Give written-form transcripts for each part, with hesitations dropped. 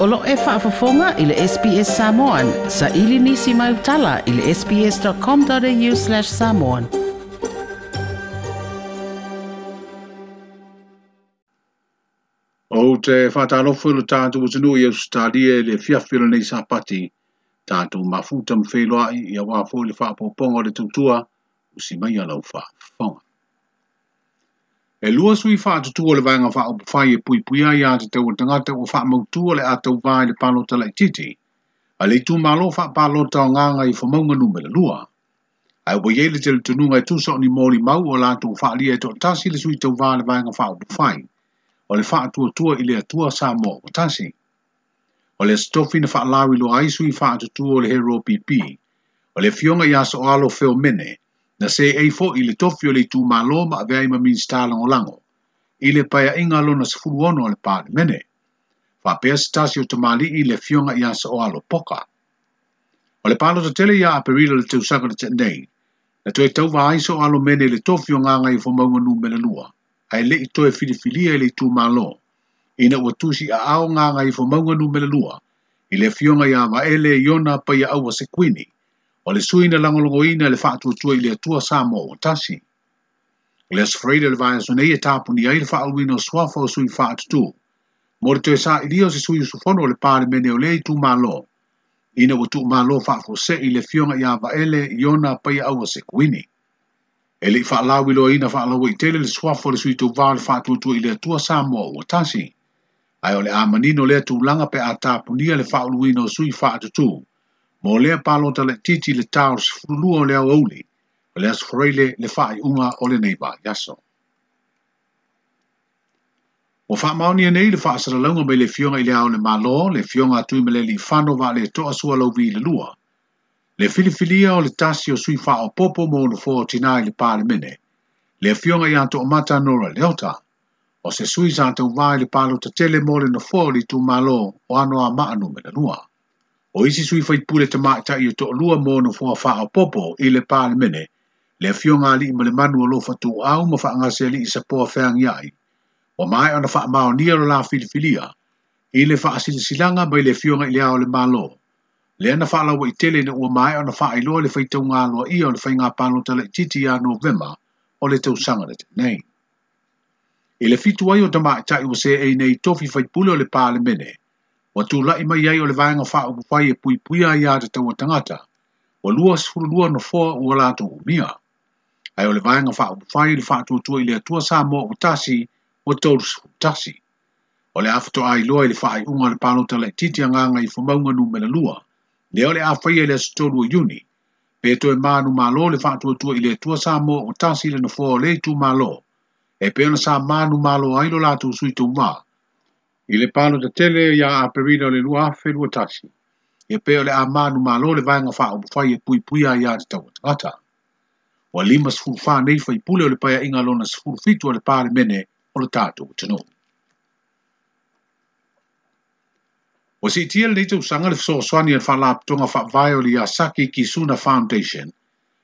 O lo e faafofoga i le SBS Samoan. Saili nisi mai utala i le sbs.com.au/samoan. Ou te whātālofo i lo tātou atunuu i Ausetalia i le fiafi o lenei Sapati, tātou mafuta ma feiloai ia wā foi le whaapoponga o le tautua, usi mai a lau whaafofoga. E lua sui whaatutua o le vaega faaupufai e puipuia ia te tau o tangata ua faamautua le atau vā i le palota laitiiti, a le itumalo faapalota o Gagaifomauga numera 2. Ae ua iai le talitonuga e tusa o ni molimau o latou faalia e toatasi le sui tauvā le vaega faaupufai, o le faatuatua i le Atua Samoa ua tasi. O le aso tofi na faalauiloa ai sui faatutua o le Hero PP, o le afioga ia Soalo Feomene, na seei foi i le tofi o le itumalo ma avea ai ma Minisita Lagolago, i le paeaiga lona 16 o le Palemene. Faapea se tasi o tamalii i le afioga ia Soalo Poka. O le palota tele ia Aperila le tausaga le tenei, na toe tauva ai Soalo Mene i le tofi o Gagaifomauga numera 2, ae lei toe filifilia i le itumalo, ina ua tusi aao Gagaifomauga numera 2, i le afioga ia Vaele Iona Paiaaua Sekuini, o le sui na lagolagoina le faatuatua i le Atua Samoa ua tasi. O le aso Faraile o le vaiaso nei e tapuni ai le faauluina o suafa o sui faatutu, mo le toe sa'ilia o se sui usufono o le Palemene o lea itumalo, ina ua tuumalo faafuase'i le afioga ia Vaele Iona Paiaaua Sekuini. E lei faalauiloaina faalauaitele le suafa o le sui tauvā o le faatuatua i le Atua Samoa ua tasi. Ae o le a manino lea tulaga pe a tapunia le faauluina o sui faatutu, mo lea palota laitiiti i le ta o le 12 o le aoauli, o le aso Faraile le faaiuga o lenei vaiaso. Ua faamaonia nei le faasalalauga mai le afioga i le Ao o le Malo, le afioga a Tuimaleleifano Vaaletoa Sualauvi le lua, le filifilia o le tasi o sui faaopoopo mo nofoa o tinā i le Palemene, le afioga ia Toomata Nora Leota, o se sui sa tauvā i le palota tele mo le nofoa o le itumalo o Anoamaa numera 2. O isi sui faipule tamaitai e toalua mo nofoa faaopoopo i le Palemene, le afioga a Aliimalemanu o Lofa Tuuau ma Faagasealii Sapoa Feagiai, ua maea ona faamaonia lo la filifilia i le faasilasilaga mai le afioga i le Ao o le Malo, lea na faalauaitele ina ua maea ona faailoa le faitauga aloaia o le faiga palota laitiiti ia Novema o le tausaga le nei. I le 7 ai o tamaitai ua seei nei tofi faipule o le Palemene, ua tula'i mai ai o le vaega faaupufai e puipuia ai ia te taua tagata, ua 22 nofoa ua latou umia. Ae o le vaega faaupufai i le faatuatua i le Atua Samoa ua tasi, ua 31. O le a faatoa iloa i le faaiuga o le palota laitiiti a Gagaifomauga numera 2, lea o le a faia i le aso 3 o Iuni, pe toe manumalo le faatuatua i le Atua Samoa ua tasi le nofoa o le itumalo, e pei ona sa manumalo ai lo latou sui tauvā i le palota tele ia Aperila o le 2021, ia pe o le a manumalo le vaega faaupufai e puipuia ai ia te taua tagata. Ua 54 nei faipule o le paeaiga lona 17 o le Palemene o le tatou atunuu. Ua siitia lenei tausaga le fesoasoani a le faalapotopotoga faavae o le Yasaki Kisuna Foundation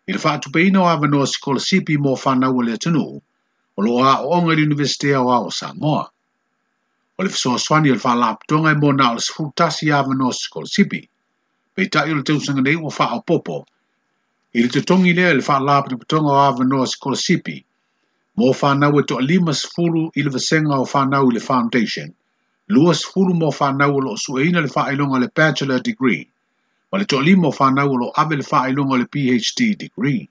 i le faatupeina o avanoa sikolasipi mo fanau a le atunuu o loo aooga i le Iunivesite Aoao o Samoa. O le fesoasoani o le faalapotopotoga e mo na o le 11 avanoa sikolasipi. Peitai o le tausaga nei ua faaopoopo i le totogi lea i le faalapotopotoga o avanoa sikolasipi mo fanau e toa-50 i le vasega o fanau i le Foundation, 20 mo fanau o loo sueina le faailoga o le Bachelor Degree, ma le toa-5 o fanau o loo ave le faailoga o le PhD Degree.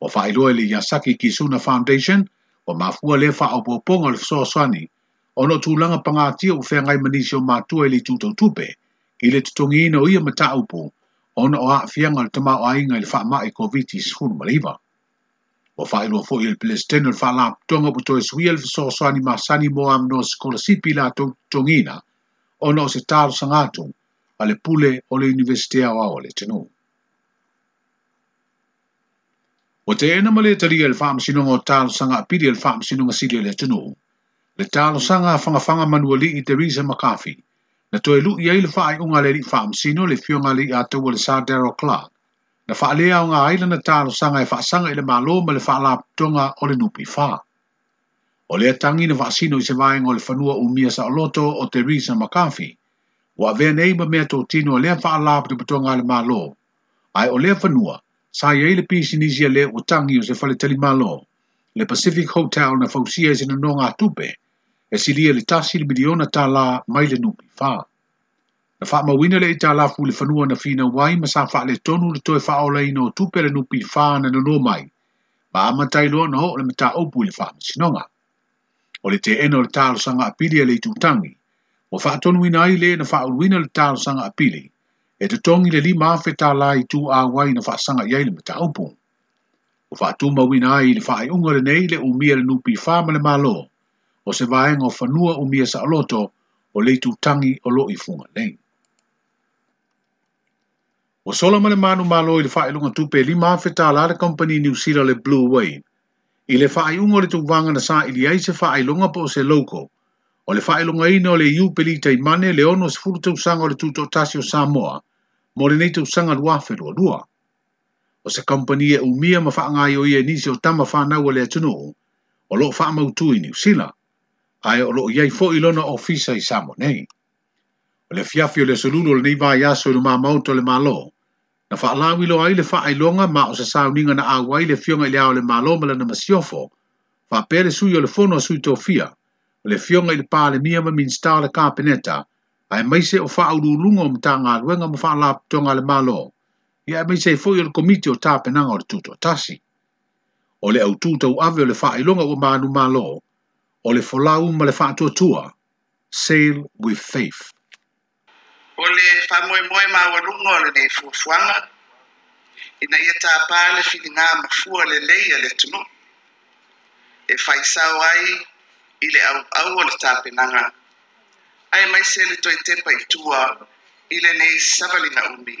Ua faailoa i le Yasaki Kisuna Foundation, ua mafua lea faaopoopoga o le fesoasoani ona o tulaga pagatia ua feagai ma nisi o matua i le itu tautupe, i le totogiina o ia mataupu ona o aafiaga o le tamaoaiga i le faamai COVID-19. Ua faailoa foi e le Peresetene o le faalapotopotoga ua toe suia le fesoasoani masani mo avanoa sikolasipi latou totogiina ona o se talosaga atu a le pule o le Iunivesite Aoao o le atunuu. Ua teena ma le talia i le faamasinoga o talosaga apili a le faamasinoga sili o le atunuu, le talosaga a fagafaga manualii Theresa McCarthy, na toe lu'i ai le faaiuga a le alii faamasino le afioga a le Ataua le Sir Daryl Clark, na faaleaoga ai lana talosaga e faasaga i le Malo ma le faalapotopotoga o le NPF. O lea tagi na faasino i se vaega o le fanua umia saoloto o Theresa McCarthy, Ua avea nei ma meatotino a lea Faalapotopotoga a le Malo, ae o lea fanua sa i ai le pisinisi a le ua tagi o se faletalimalo, le Pacific Hotel na fausia i se nonogatupe e silia i le $1 miliona mai le NPF. Na faamauina le aitalafu i le fanua na finau ai ma sa faaletonu le toe faaolaina o tupe a le NPF na nono mai, ma amata ai loa ona oo le mataupu i le faamasinoga. O le teena o le talosaga apili a le itutagi, ua faatonuina ai le na faauluina le talosaga apili, e totogi le $5,000 i tu auai na faasaga i ai le mataupu. Ua faatumauina ai i le faaiuga lenei le umia le NPF ma le Malo, o se vaega o fanua umia saoloto o le itutagi o loo i Fugalei. Ua sola ma le manumalo i le faailoga tupe $5,000 le kamupani Niu Sila le Blue Wave, i le faaiuga o le tauvaga na saili ai se faailoga po o se logo, o le faailogaina o le Iupeli Taimane le 60 tausaga o le tutoatasi o Samoa mo lenei tausaga 2022. O se kamupani e umia ma faagaioia e nisi o tama fanau a le atunuu o loo faamautu i Niu Sila, ae o loo i ai foi lona ofisa i Samoa nei. O le afiafi o le aso Lulu o lenei vaiaso i luma maota o le Malo, na faalauiloa ai le faailoga ma o se sauniga na auai le afioga i le Ao o le Malo ma lana masiofo, faapea le sui o le Fono a Sui Tofia, o le afioga i le Palemia ma Minisita o le Kapeneta, aemaise o faauluuluga o Matagaluega ma Faalapotopotoga a le Malo, ia aemaise ai foi o le Komiti o Tapenaga o le Tutoatasi. O le autū tauave o le faailoga ua manumalo, o le folau ma le faatuatua, Sail with Faith. O le faamoemoe maualuga o lenei fuafuaga, ina ia tapā le filiga mafua lelei a le atunuu, e faisao ai i le auau o le tapenaga, aemaise le toe tepa i tua i lenei savaliga umi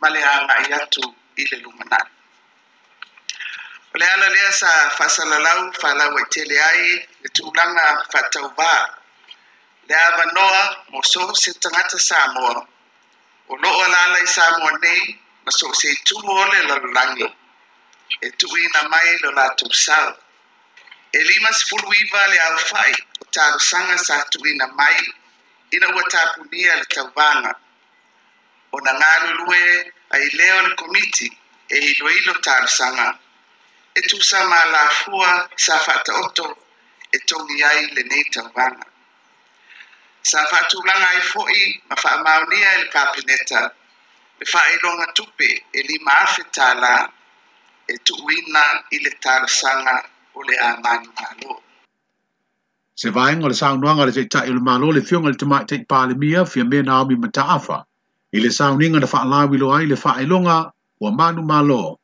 ma le agai atu i le lumanai. O le ala lea sa faasalalau faalauaitele ai le tulaga faatauvā, le avanoa mo so o se tagata Samoa o loo alaala i Samoa nei ma so o se itu o le lalolagi e tuuina mai lo latou sao. E 59 le aofai o talosaga sa tuuina mai ina ua tapunia le tauvaga. Ona galulue ai lea o le komiti e iloilo talosaga e tusa ma alafua sa faataoto e togi ai lenei tauvaga. Sa faatulaga ai foi ma faamaonia e le Kapeneta le faailoga tupe e $5,000 e tuuina i le talosaga o le a manumalo. Se vaega o le saunoaga a le Taitai o le Malo le afioga i le Tamaitai Palemia Fiame Naomi Mataafa i le sauniga na faalauiloa ai le faailoga ua manumalo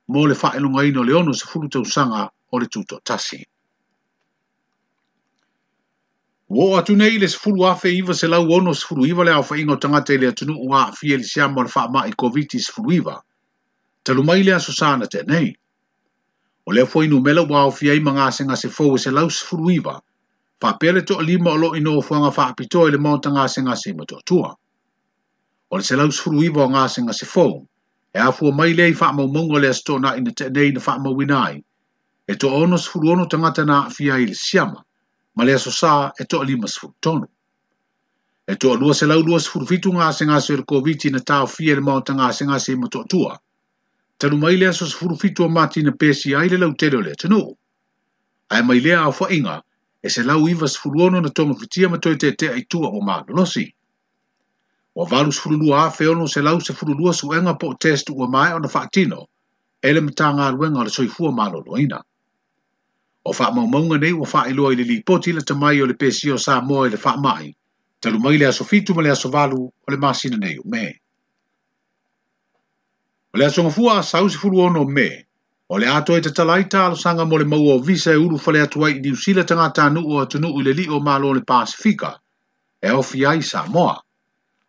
mo le faailogaina o le 60 tausaga o le tutoatasi. Ua oo atu nei i le 10,969 le aofaiga o tagata i le atunuu ua aafia i le siama o le faamai Koviti-19, talu mai le aso Sa na tea nei. O lea foi numera ua aofia ai ma gasegase fou e 119, faapea le toalima o loo i nofoaga faapitoa i le maota gasegase i Motootua. O le 119 o gasegase fou, e afua mai lea i faamaumauga o le Aso Toonai na tea nei na faamauina ai, e toa-66 tagata na aafia ai i le siama, ma le Aso Sa e toa-53. E toa-227 gasegase o le Koviti na taofia i le maota gasegase i Motootua, talu mai le aso 17 o Mati na pesia ai le lautele o le atunuu. Ae mai lea aofaiga, e 196 na togafitia ma toe tetea i tua ua malolosi. Ua 82,612 suega po o test ua maea ona faatino e le Matagaluega o le Soifua Maloloina. O faamaumauga nei ua faailoa i le lipoti lata mai o le pesia o Samoa i le faamai, talu mai le aso 7 ma le aso 8 o le masina nei o Me. O le aso Gafua Asau 16 Me, o le a toe tatala ai talosaga mo le maua o visa e ulufale atu ai i Niu Sila tagatanuu o atunuu i le lio o Malo o le Pasefika, e aofia ai Samoa.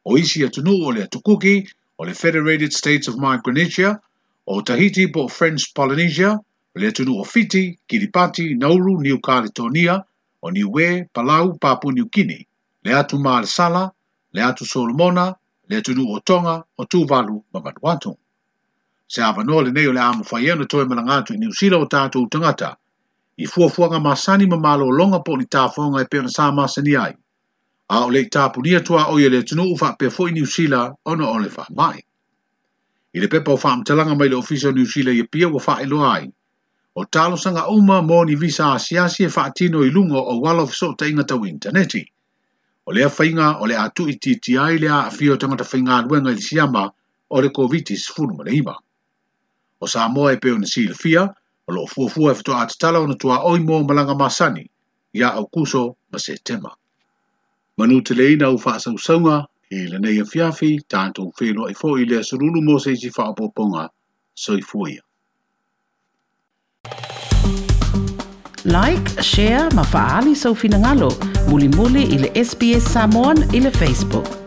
O isi atunuu o le Atu Kuki, o le Federated States of Micronesia, o Tahiti po o French Polynesia, o le atunuu o Fiti, Kiribati, Nauru, Niu Kaletonia, o Niue, Palau, Papua Niu Kini, le Atu Malesala, le Atu Solomona, le atunuu o Tonga, o Tuvalu ma Vanuatu. Se avanoa lenei o le a mafai ai ona toe malaga atu i Niu Sila o tatou tagata, i fuafuaga masani ma malologa po o ni tafoga e pei ona sa masani ai, A o le'i tapunia tuaoi e le atunuu faapea foi Niu Sila ona o le faamai. I le pepa o faamatalaga mai le Ofisa o Niu Sila i Apia ua faailoa ai, o talosaga uma mo ni visa asiasi e faatino i luga o auala o fesootaiga tau initaneti. O lea faiga o le a tuuitiitia ai le aafia o tagata faigaluega i le siama o le Koviti-19. O Samoa e pei ona silafia, o loo fuafua e faatoa tatala ona tuaoi mo malaga masani ia Aukuso ma Setema. Manuteleina au faasausauga i lenei afiafi, tatou feiloai foi i le aso Lulu mo se isi faaopoopoga. Soifua ia. Like, share ma faaali sou finagalo mulimuli i le SBS Samoan i le Facebook.